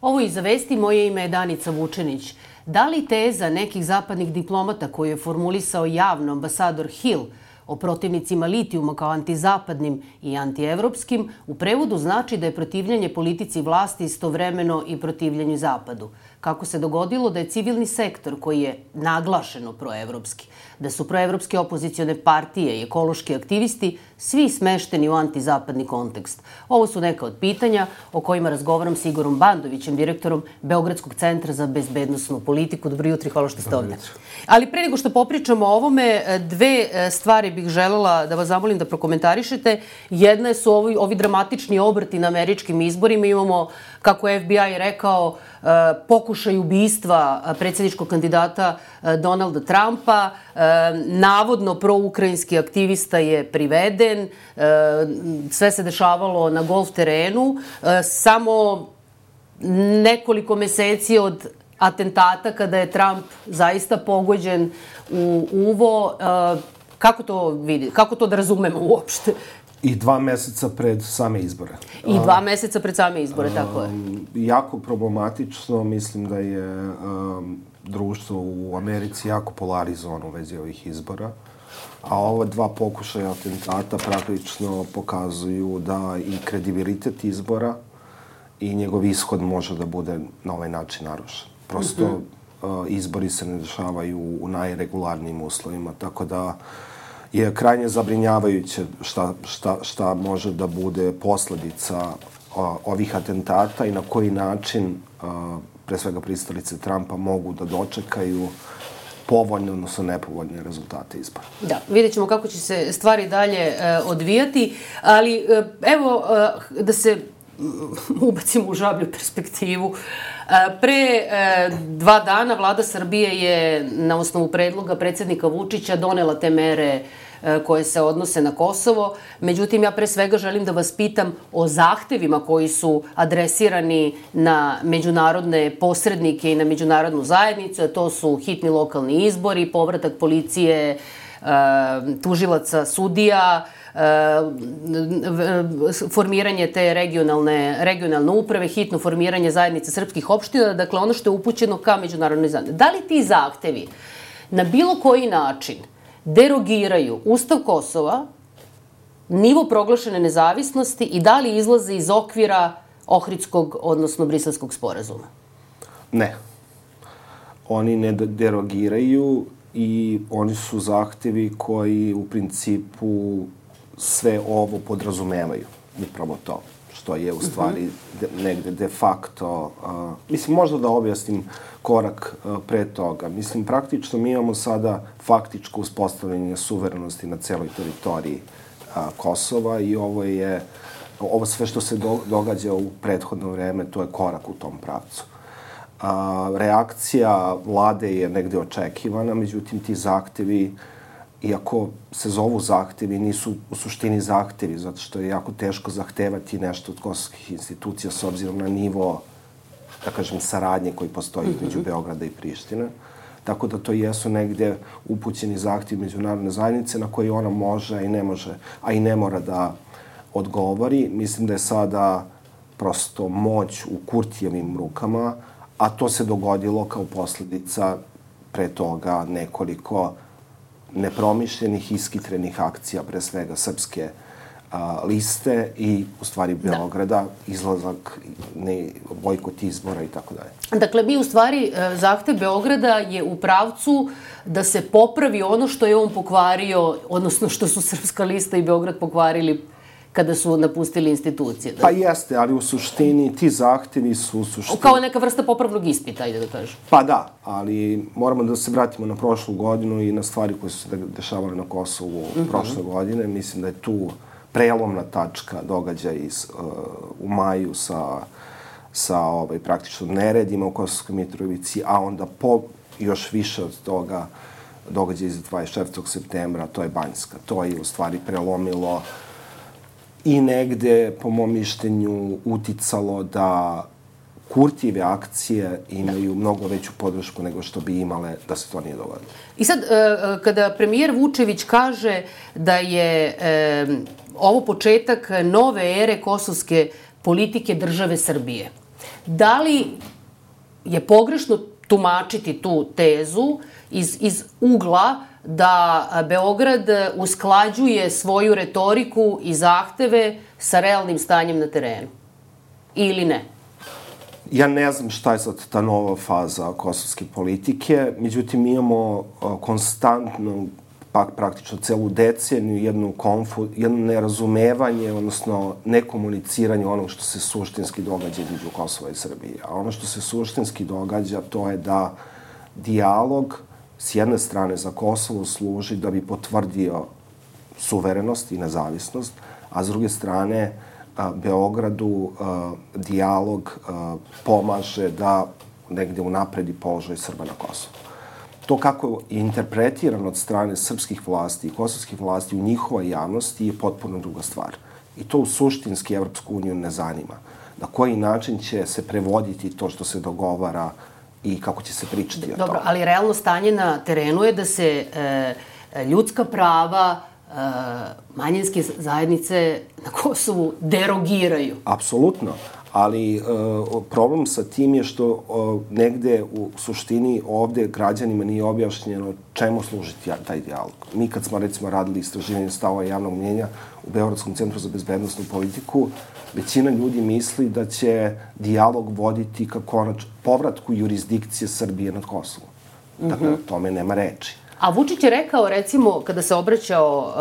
Ovo je Iza vesti, moje ime je Danica Vučenić. Da li teza nekih zapadnih diplomata koju je formulisao javno ambasador Hill o protivnicima litijuma kao antizapadnim i antievropskim u prevodu znači da je protivljenje politici vlasti istovremeno i protivljenju Zapadu? Kako se dogodilo da je civilni sektor koji je naglašeno proevropski, da su proevropske opozicione partije i ekološki aktivisti svi smešteni u antizapadni kontekst? Ovo su neka od pitanja o kojima razgovaram s Igorom Bandovićem, direktorom Beogradskog centra za bezbednosnu politiku. Dobro jutro i hvala što ste ovde. Ali pre nego što popričamo o ovome, dve stvari bih želela da vas zamolim da prokomentarišete. Jedna su ovi dramatični obrti na američkim izborima. Imamo, kako je FBI rekao, pokušaj ubistva predsjedničkog kandidata Donalda Trumpa. Navodno proukrajinski aktivista je priveden. Sve se dešavalo na golf terenu. Samo nekoliko meseci od atentata kada je Trump zaista pogođen u uvo. Kako to vidi? Kako to da razumemo uopšte? I 2 meseca pred same izbore. I 2 meseca pred same izbore, tako je. Jako problematično, mislim da je društvo u Americi jako polarizovano u vezi ovih izbora. A ova 2 pokušaja atentata praktično pokazuju da i kredibilitet izbora i njegov ishod može da bude na ovaj način narušen. Prosto izbori se ne dešavaju u najregularnijim uslovima, tako da je krajnje zabrinjavajuće šta može da bude posledica ovih atentata i na koji način, pre svega pristalice Trumpa, mogu da dočekaju povoljne, odnosno nepovoljne rezultate izbora. Da, vidjet ćemo kako će se stvari dalje odvijati, ali evo da se ubacimo u žablju perspektivu. Pre 2 dana vlada Srbije je na osnovu predloga predsjednika Vučića donela te mere koje se odnose na Kosovo. Međutim, ja pre svega želim da vas pitam o zahtevima koji su adresirani na međunarodne posrednike i na međunarodnu zajednicu, a to su hitni lokalni izbori, povratak policije, tužilaca, sudija, formiranje te regionalne uprave, hitno formiranje zajednice srpskih opština, dakle ono što je upućeno ka međunarodnoj zajednici. Da li ti zahtevi na bilo koji način derogiraju Ustav Kosova, nivo proglašene nezavisnosti i da li izlaze iz okvira Ohridskog, odnosno Briselskog sporazuma? Ne. Oni ne derogiraju i oni su zahtevi koji u principu sve ovo podrazumevaju. Upravo to, što je u stvari negde de facto... Mislim, možda da objasnim korak pre toga. Mislim, praktično mi imamo sada faktičko uspostavljanje suverenosti na celoj teritoriji Kosova i ovo sve što se događa u prethodno vreme, to je korak u tom pravcu. Reakcija vlade je negde očekivana, međutim ti zahtevi, iako se zovu zahtevi, nisu u suštini zahtevi, zato što je jako teško zahtevati nešto od kosovskih institucija s obzirom na nivo, da kažem, saradnje koji postoji među Beograda i Prištine. Tako da to jesu negde upućeni zahtevi međunarodne zajednice na koji ona može i ne može, a i ne mora da odgovori. Mislim da je sada prosto moć u Kurtijevim rukama, a to se dogodilo kao posljedica pre toga nekoliko nepromišljenih, iskitrenih akcija, pre svega srpske liste i u stvari Beograda, izlazak, bojkot izbora i tako dalje. Dakle, mi u stvari, zahtev Beograda je u pravcu da se popravi ono što je on pokvario, odnosno što su Srpska lista i Beograd pokvarili kada su napustili institucije. Pa jeste, ali u suštini ti zahtevi su u suštini... Kao neka vrsta popravnog ispita, ajde da kažem. Pa da, ali moramo da se vratimo na prošlu godinu i na stvari koje su se dešavale na Kosovu prošle godine. Mislim da je tu prelomna tačka događaj u maju sa praktično neredima u Kosovskoj Mitrovici, a onda još više od toga događaj iz 24. septembra, to je Banjska. To je u stvari prelomilo i negde, po mom mišljenju, uticalo da Kurtijeve akcije imaju mnogo veću podršku nego što bi imale da se to nije dogodilo. I sad, kada premijer Vučević kaže da je ovo početak nove ere kosovske politike države Srbije, Da li je pogrešno tumačiti tu tezu iz ugla da Beograd usklađuje svoju retoriku i zahteve sa realnim stanjem na terenu? Ili ne? Ja ne znam šta je sad ta nova faza kosovske politike, međutim mi imamo konstantno, praktično celu deceniju, jedno nerazumevanje, odnosno nekomuniciranje onog što se suštinski događa između Kosova i Srbije. A ono što se suštinski događa, to je da dijalog s jedne strane za Kosovo služi da bi potvrdio suverenost i nezavisnost, a s druge strane Beogradu dijalog pomaže da negde unapredi položaj Srba na Kosovu. To kako je interpretirano od strane srpskih vlasti i kosovskih vlasti u njihovoj javnosti je potpuno druga stvar. I to u suštinski Evropsku uniju ne zanima. Na koji način će se prevoditi to što se dogovara i kako će se pričati o tome. Dobro, ali realno stanje na terenu je da se ljudska prava manjinske zajednice na Kosovu derogiraju. Apsolutno. Ali problem sa tim je što negde u suštini ovde građanima nije objašnjeno čemu služi taj dijalog. Mi kad smo recimo radili istraživanje stavova javnog mnjenja u Beogradskom centru za bezbednosnu politiku, većina ljudi misli da će dijalog voditi ka povratku jurisdikcije Srbije nad Kosovom. Dakle, o tome nema reči. A Vučić je rekao, recimo, kada se obraćao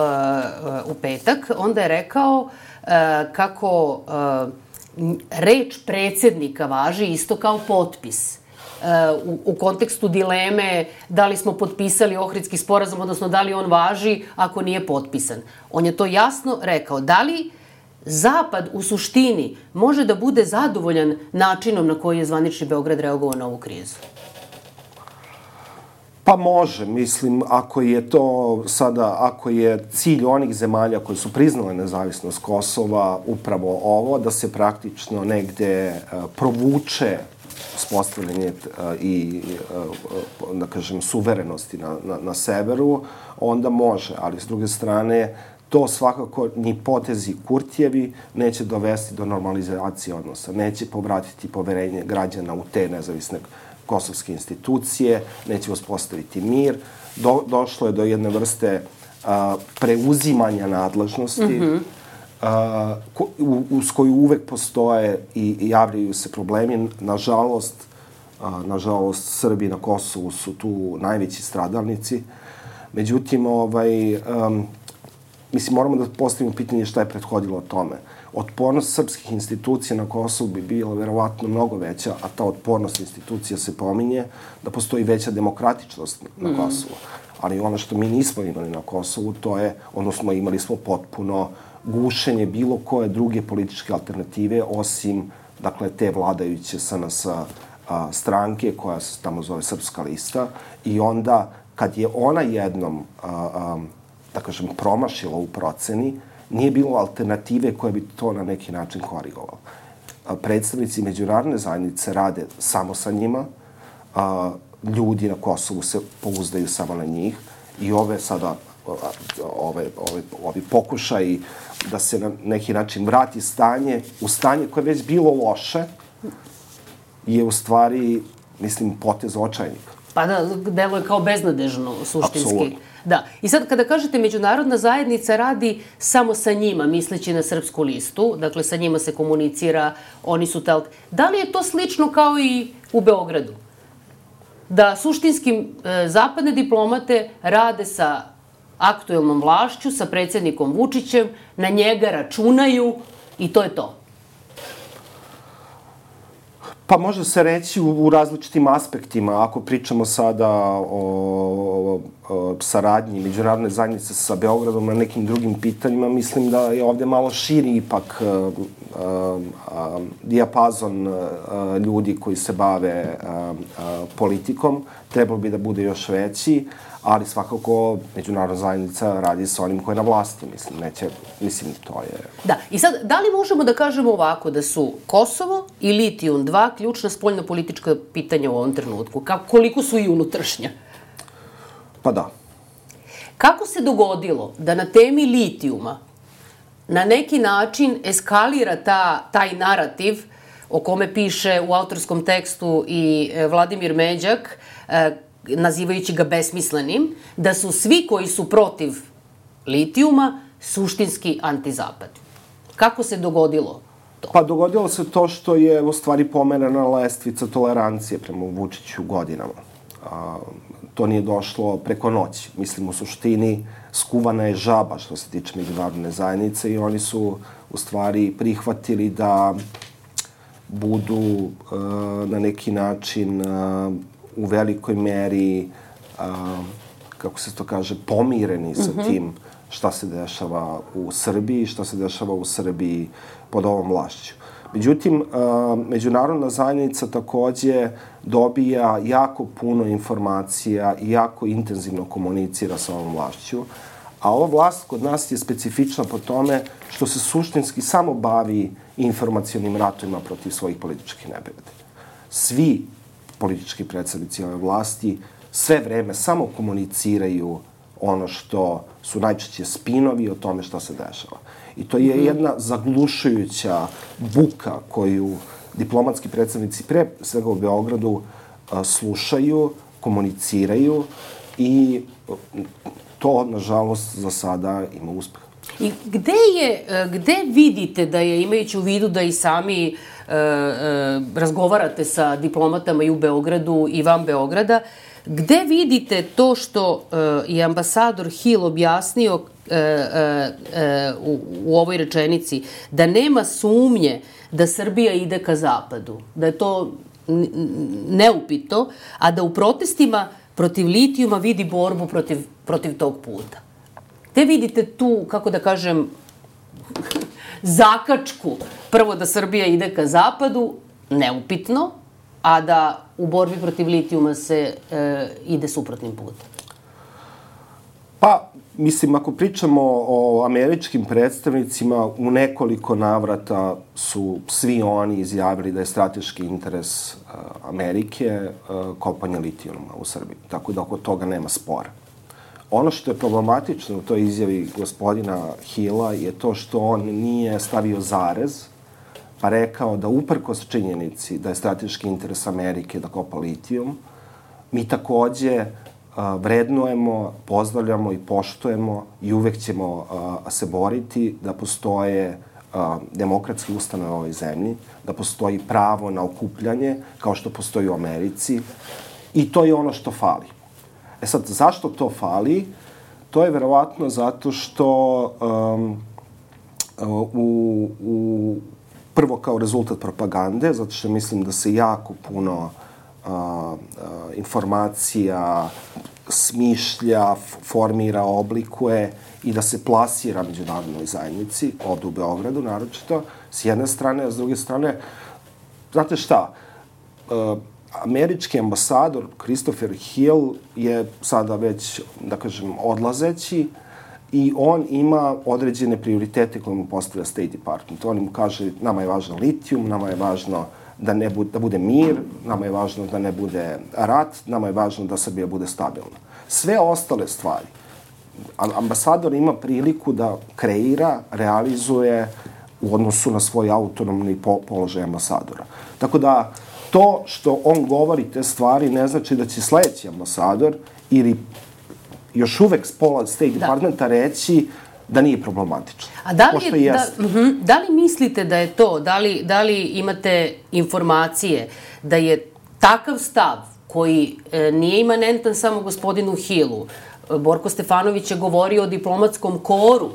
u petak, onda je rekao kako reč predsjednika važi isto kao potpis. U kontekstu dileme da li smo potpisali Ohridski sporazum, odnosno da li on važi ako nije potpisan. On je to jasno rekao. Da li Zapad u suštini može da bude zadovoljan načinom na koji je zvanični Beograd reagovao na ovu krizu? Pa može, mislim, ako je to sada, ako je cilj onih zemalja koji su priznale nezavisnost Kosova upravo ovo, da se praktično negde provuče uspostavljanje i, da kažem, suverenosti na severu, onda može, ali s druge strane, to svakako ni potezi Kurtijevi neće dovesti do normalizacije odnosa, neće povratiti poverenje građana u te nezavisne kosovske institucije, neće uspostaviti mir. Došlo je do jedne vrste preuzimanja nadležnosti, uz koju uvek postoje i javljaju se problemi. Nažalost, Srbi na Kosovu su tu najveći stradalnici. Međutim, mislim, moramo da postavimo pitanje šta je prethodilo tome. Otpornost srpskih institucija na Kosovu bi bila verovatno mnogo veća, a ta otpornost institucija se pominje da postoji veća demokratičnost na Kosovu. Ali ono što mi nismo imali na Kosovu, to je, odnosno imali smo potpuno gušenje bilo koje druge političke alternative, osim, dakle, te vladajuće SNS stranke, koja se tamo zove Srpska lista, i onda, kad je ona jednom, da kažem, promašila u proceni, nije bilo alternative koja bi to na neki način korigovala. Predstavnici međunarodne zajednice rade samo sa njima, ljudi na Kosovu se pouzdaju samo na njih i ove sada, ovi pokušaji da se na neki način vrati u stanje koje je već bilo loše, je u stvari, mislim, potez očajnika. Pa da, delo je kao beznadežno, suštinski. Apsolutno. Da. I sad, kada kažete međunarodna zajednica radi samo sa njima, misleći na Srpsku listu, dakle, sa njima se komunicira, oni su da li je to slično kao i u Beogradu? Da suštinski zapadne diplomate rade sa aktuelnom vlašću, sa predsjednikom Vučićem, na njega računaju i to je to? Pa može se reći u različitim aspektima. Ako pričamo sada o saradnji međunarodne zajednice sa Beogradom na nekim drugim pitanjima, mislim da je ovde malo širi ipak dijapazon ljudi koji se bave politikom. Trebalo bi da bude još veći, ali svakako međunarodna zajednica radi sa onim koji je na vlasti. Mislim, to je... Da, i sad, da li možemo da kažemo ovako, da su Kosovo i litijum dva ključna spoljno-politička pitanja u ovom trenutku? Koliko su i unutrašnja? Pa da. Kako se dogodilo da na temi litijuma na neki način eskalira taj narativ o kome piše u autorskom tekstu i Vladimir Međak, nazivajući ga besmislenim, da su svi koji su protiv litijuma suštinski antizapadni. Kako se dogodilo to? Pa dogodilo se to što je u stvari pomerena lestvica tolerancije prema Vučiću godinama. To nije došlo preko noći. Mislim, u suštini skuvana je žaba što se tiče međunarodne zajednice i oni su u stvari prihvatili da budu na neki način u velikoj meri, kako se to kaže, pomireni sa tim šta se dešava u Srbiji, šta se dešava u Srbiji pod ovom vlašću. Međutim, međunarodna zajednica takođe dobija jako puno informacija i jako intenzivno komunicira sa ovom vlašću, a ova vlast kod nas je specifična po tome što se suštinski samo bavi informacionim ratovima protiv svojih političkih neprijatelja. Svi politički predstavnici ove vlasti sve vreme samo komuniciraju ono što su najčešće spinovi o tome šta se dešava. I to je jedna zaglušujuća buka koju diplomatski predstavnici pre svega u Beogradu slušaju, komuniciraju i to, nažalost, za sada ima uspeh. I gde vidite da je, imajući u vidu da i sami razgovarate sa diplomatama i u Beogradu i van Beograda, gde vidite to što je ambasador Hill objasnio u ovoj rečenici, da nema sumnje da Srbija ide ka zapadu, da je to neupito, a da u protestima protiv litijuma vidi borbu protiv tog puta? Gde vidite tu, kako da kažem, zakačku, prvo da Srbija ide ka zapadu, neupitno, a da u borbi protiv litijuma se ide suprotnim putem? Pa, mislim, ako pričamo o američkim predstavnicima, u nekoliko navrata su svi oni izjavili da je strateški interes Amerike kopanje litijuma u Srbiji. Tako da oko toga nema spora. Ono što je problematično u toj izjavi gospodina Hilla je to što on nije stavio zarez, pa rekao da uprkos činjenici da je strateški interes Amerike da kopa litijum, mi takođe vrednujemo, pozdravljamo i poštujemo i uvek ćemo se boriti da postoje demokratski ustanove u ovoj zemlji, da postoji pravo na okupljanje, kao što postoji u Americi, i to je ono što fali. E sad, zašto to fali? To je verovatno zato što prvo kao rezultat propagande, zato što mislim da se jako puno informacija smišlja, formira, oblikuje i da se plasira međunarodnoj zajednici, ovde u Beogradu naročito, s jedne strane, a s druge strane, znate šta, američki ambasador Christopher Hill je sada već, da kažem, odlazeći i on ima određene prioritete koje mu postavlja State Department. On mu kaže, nama je važno litijum, nama je važno da bude mir, nama je važno da ne bude rat, nama je važno da Srbija bude stabilna. Sve ostale stvari ambasador ima priliku da kreira, realizuje u odnosu na svoj autonomni položaj ambasadora. Tako da to što on govori te stvari ne znači da će sledeći ambasador ili još uvek s pola State Departmenta reći da nije problematično. A da li mislite da je to, da li imate informacije da je takav stav koji nije imanentan samo gospodinu Hillu? Borko Stefanović je govorio o diplomatskom koru.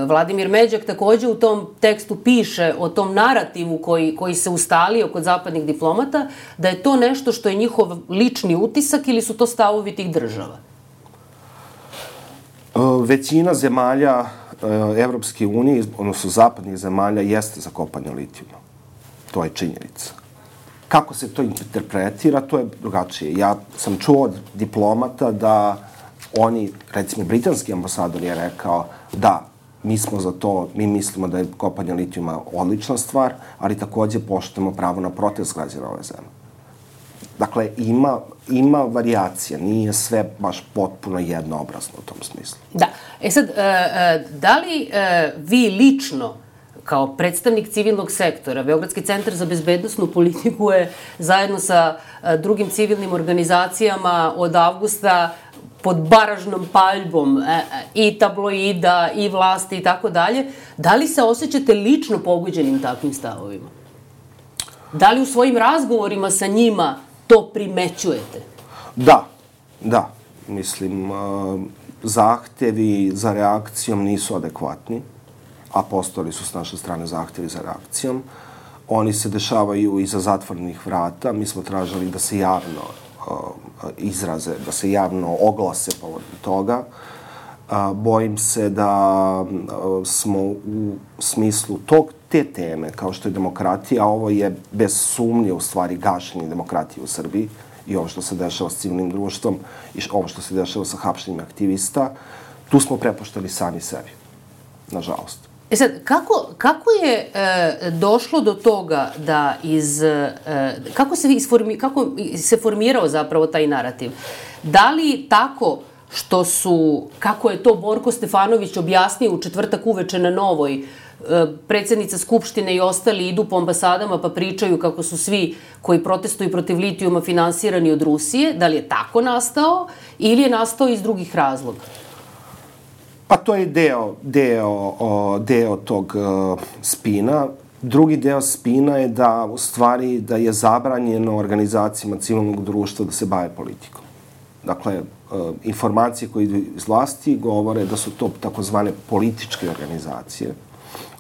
Vladimir Međak takođe u tom tekstu piše o tom narativu koji se ustalio kod zapadnih diplomata, da je to nešto što je njihov lični utisak ili su to stavovi tih država? Većina zemalja Evropske unije, odnosno zapadnih zemalja, jeste za kopanje litijuma. To je činjenica. Kako se to interpretira, to je drugačije. Ja sam čuo od diplomata da oni, recimo britanski ambasador je rekao da mi smo za to, mi mislimo da je kopanje litijuma odlična stvar, ali takođe poštujemo pravo na protest građana ove zemlje. Dakle, ima varijacija, nije sve baš potpuno jednoobrazno u tom smislu. Da. E sad, da li vi lično kao predstavnik civilnog sektora, Beogradski centar za bezbednosnu politiku je zajedno sa drugim civilnim organizacijama od avgusta pod baražnom paljbom i tabloida i vlasti i tako dalje. Da li se osjećate lično pogođenim takvim stavovima? Da li u svojim razgovorima sa njima to primećujete? Da. Mislim, zahtevi za reakcijom nisu adekvatni, a postojali su s naše strane zahtevi za reakcijom. Oni se dešavaju iza zatvorenih vrata. Mi smo tražili da se javno izraze, da se javno oglase povodom toga. Bojim se da smo u smislu te teme, kao što je demokratija, ovo je bez sumnje u stvari gašenje demokratije u Srbiji i ovo što se dešava s civilnim društvom i ovo što se dešava sa hapšenjem aktivista, tu smo prepuštali sami sebi, nažalost. Sad, kako je došlo do toga da kako se formirao zapravo taj narativ? Da li tako što kako je to Borko Stefanović objasnio u četvrtak uveče na Novoj, predsjednica Skupštine i ostali idu po ambasadama pa pričaju kako su svi koji protestuju protiv litijuma finansirani od Rusije, da li je tako nastao ili je nastao iz drugih razloga? Pa to je deo tog spina. Drugi deo spina je da u stvari da je zabranjeno organizacijama civilnog društva da se bave politikom. Dakle, informacije koje idu iz vlasti govore da su to takozvane političke organizacije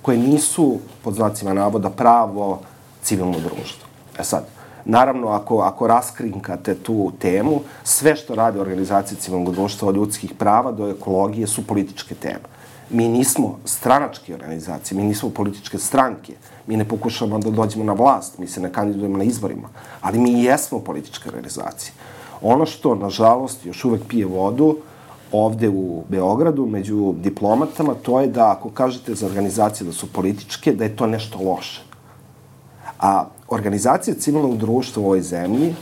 koje nisu, pod znacima navoda, pravo civilno društvo. Sad, naravno, ako raskrinkate tu temu, sve što rade organizacije civilnog društva od ljudskih prava do ekologije su političke teme. Mi nismo stranačke organizacije, mi nismo političke stranke, mi ne pokušavamo da dođemo na vlast, mi se ne kandidujemo na izborima, ali mi jesmo političke organizacije. Ono što, nažalost, još uvek pije vodu ovde u Beogradu među diplomatama, to je da ako kažete za organizacije da su političke, da je to nešto loše. A organizacija civilnog društva u ovoj zemlji,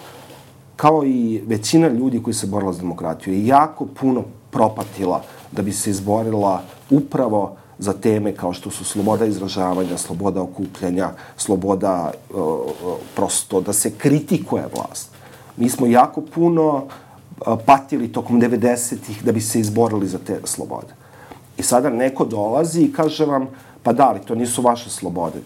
kao i većina ljudi koji se borila za demokratiju, je jako puno propatila da bi se izborila upravo za teme kao što su sloboda izražavanja, sloboda okupljanja, sloboda prosto da se kritikuje vlast. Mi smo jako puno patili tokom 90-ih da bi se izborili za te slobode. I sada neko dolazi i kaže vam, pa da, ali to nisu vaše slobode,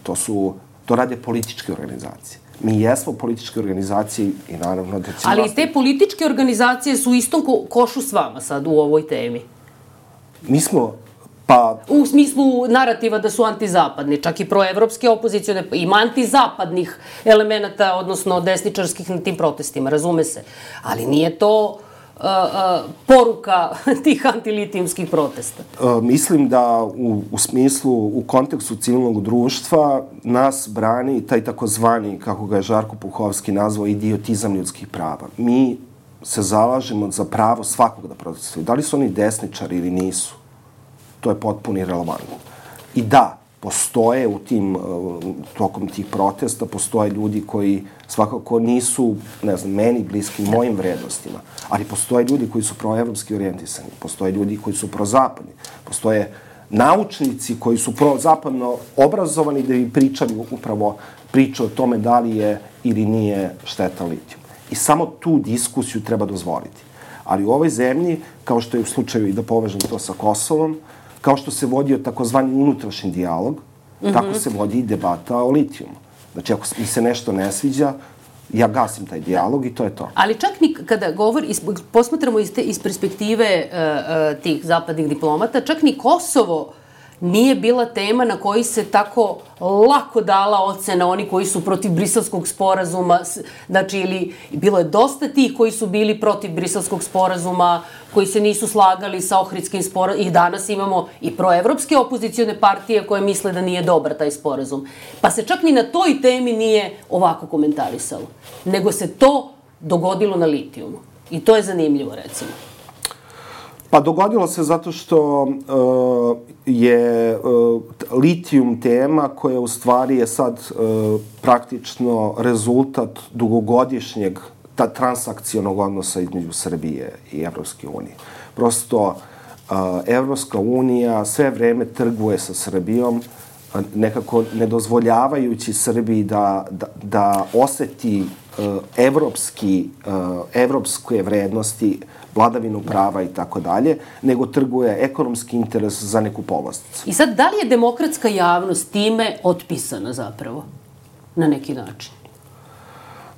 to rade političke organizacije. Mi jesmo političke organizacije i naravno da će... Ali te političke organizacije su u istom košu s vama sad u ovoj temi? Mi smo, u smislu narativa da su antizapadni, čak i proevropske opozicione, ima antizapadnih elemenata, odnosno desničarskih na tim protestima, razume se. Ali nije to poruka tih antilitijumskih protesta. Mislim da u smislu, u kontekstu civilnog društva nas brani taj takozvani, kako ga je Žarko Puhovski nazvao, idiotizam ljudskih prava. Mi se zalažemo za pravo svakog da protestuje. Da li su oni desničari ili nisu? To je potpuno irelevantno. I da, postoje tokom tih protesta, postoje ljudi koji svakako nisu, ne znam, meni bliski, mojim vrednostima, ali postoje ljudi koji su proevropski orijentisani, postoje ljudi koji su prozapadni, postoje naučnici koji su prozapadno obrazovani da bi pričali upravo priču o tome da li je ili nije šteta litijum. I samo tu diskusiju treba dozvoliti. Ali u ovoj zemlji, kao što je u slučaju i da povežem to sa Kosovom, kao što se vodio takozvani unutrašnji dijalog, tako se vodi i debata o litijumu. Znači, ako mi se nešto ne sviđa, ja gasim taj dijalog i to je to. Ali čak ni kada posmatramo iz perspektive tih zapadnih diplomata, čak ni Kosovo nije bila tema na koji se tako lako dala ocena oni koji su protiv Briselskog sporazuma. Znači, ili bilo je dosta tih koji su bili protiv Briselskog sporazuma, koji se nisu slagali sa Ohridskim sporazumom. I danas imamo i proevropske opozicione partije koje misle da nije dobar taj sporazum. Pa se čak ni na toj temi nije ovako komentarisalo. Nego se to dogodilo na litijumu. I to je zanimljivo, recimo. Pa dogodilo se zato što je litijum tema koja u stvari je sad praktično rezultat dugogodišnjeg transakcionog odnosa između Srbije i Evropske unije. Prosto Evropska unija sve vreme trguje sa Srbijom nekako ne dozvoljavajući Srbiji da oseti evropske vrednosti, vladavinu prava i tako dalje, nego trguje ekonomski interes za neku povlasticu. I sad, da li je demokratska javnost time otpisana zapravo, na neki način?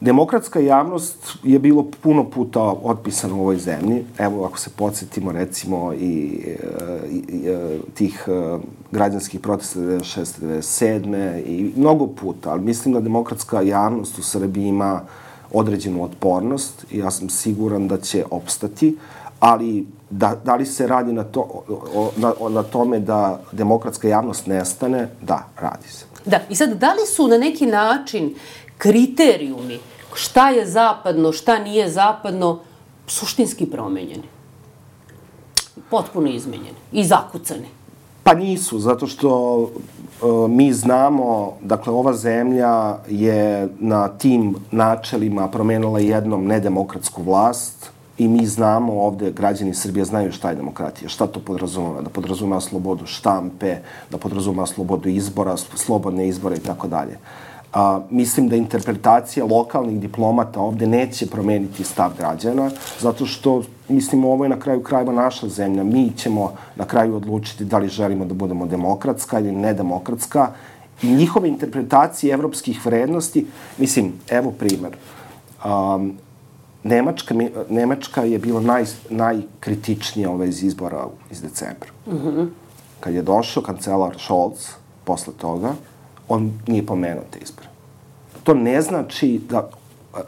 Demokratska javnost je bilo puno puta otpisana u ovoj zemlji. Evo, ako se podsjetimo, recimo, i tih građanskih protesta 96. 97. i mnogo puta, ali mislim da demokratska javnost u Srbiji ima određenu otpornost i ja sam siguran da će opstati, ali da li se radi na tome da demokratska javnost nestane? Da, radi se. Da, i sad, da li su na neki način kriterijumi šta je zapadno, šta nije zapadno, suštinski promenjeni? Potpuno izmenjeni i zakucani? Pa nisu, zato što mi znamo, dakle, ova zemlja je na tim načelima promenila jednom nedemokratsku vlast i mi znamo ovde, građani Srbije znaju šta je demokratija, šta to podrazumeva, da podrazumeva slobodu štampe, da podrazumeva slobodu izbora, slobodne izbore i tako dalje. Mislim da interpretacija lokalnih diplomata ovde neće promeniti stav građana, zato što, mislim, ovo je na kraju krajeva naša zemlja. Mi ćemo na kraju odlučiti da li želimo da budemo demokratska ili nedemokratska. I njihove interpretacije evropskih vrednosti, mislim, evo primer. Nemačka je bila najkritičnija iz izbora iz decembra. Kad je došao kancelar Scholz, posle toga, on nije pomenuo te izbore. To ne znači da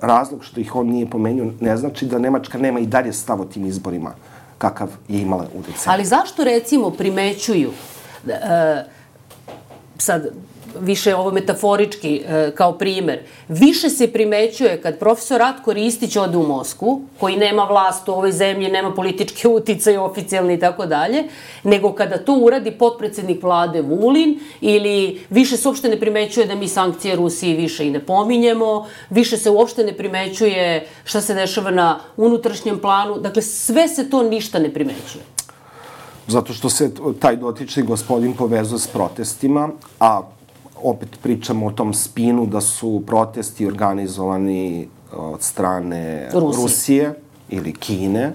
razlog što ih on nije pomenuo, ne znači da Nemačka nema i dalje stav o tim izborima kakav je imala u decembru. Ali zašto, recimo, primećuju, sad više ovo metaforički kao primer, više se primećuje kad profesor Ratko Ristić ode u Moskvu, koji nema vlast u ovoj zemlji, nema političke uticaje oficijalne i tako dalje, nego kada to uradi potpredsednik vlade Vulin, ili više se uopšte ne primećuje da mi sankcije Rusiji više i ne pominjemo, više se uopšte ne primećuje šta se dešava na unutrašnjem planu, dakle sve se to ništa ne primećuje. Zato što se taj dotični gospodin povezuje s protestima, a opet pričamo o tom spinu da su protesti organizovani od strane Rusije ili Kine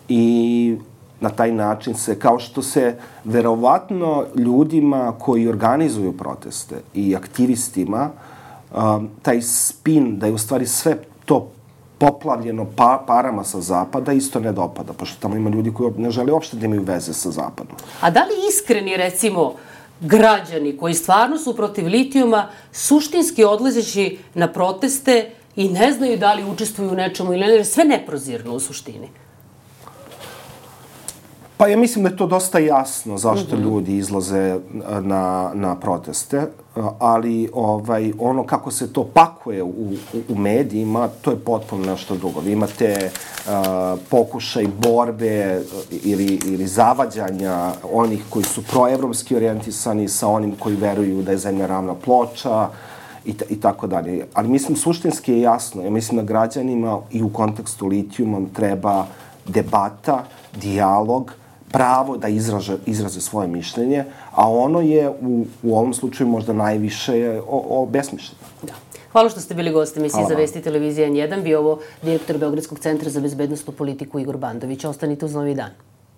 i na taj način se, kao što se verovatno ljudima koji organizuju proteste i aktivistima, taj spin da je u stvari sve to poplavljeno parama sa zapada isto ne dopada, pošto tamo ima ljudi koji ne žele uopšte da imaju veze sa zapadom. A da li iskreni, recimo, građani koji stvarno su protiv litijuma, suštinski odlazeći na proteste i ne znaju da li učestvuju u nečemu ili ne, sve neprozirno u suštini? Pa ja mislim da je to dosta jasno zašto ljudi izlaze na proteste, ali ono kako se to pakuje u medijima, to je potpuno nešto drugo. Vi imate pokušaj borbe ili zavađanja onih koji su proevropski orijentisani sa onim koji veruju da je zemlja ravna ploča i tako dalje. Ali mislim, suštinski je jasno. Ja mislim da građanima i u kontekstu litijuma treba debata, dijalog, pravo da izraze svoje mišljenje, a ono je u ovom slučaju možda najviše obesmišljeno. Da. Hvala što ste bili gosti emisije za Vesti televizije N1. Bio ovo direktor Beogradskog centra za bezbednosnu politiku Igor Bandović. Ostanite uz Novi dan.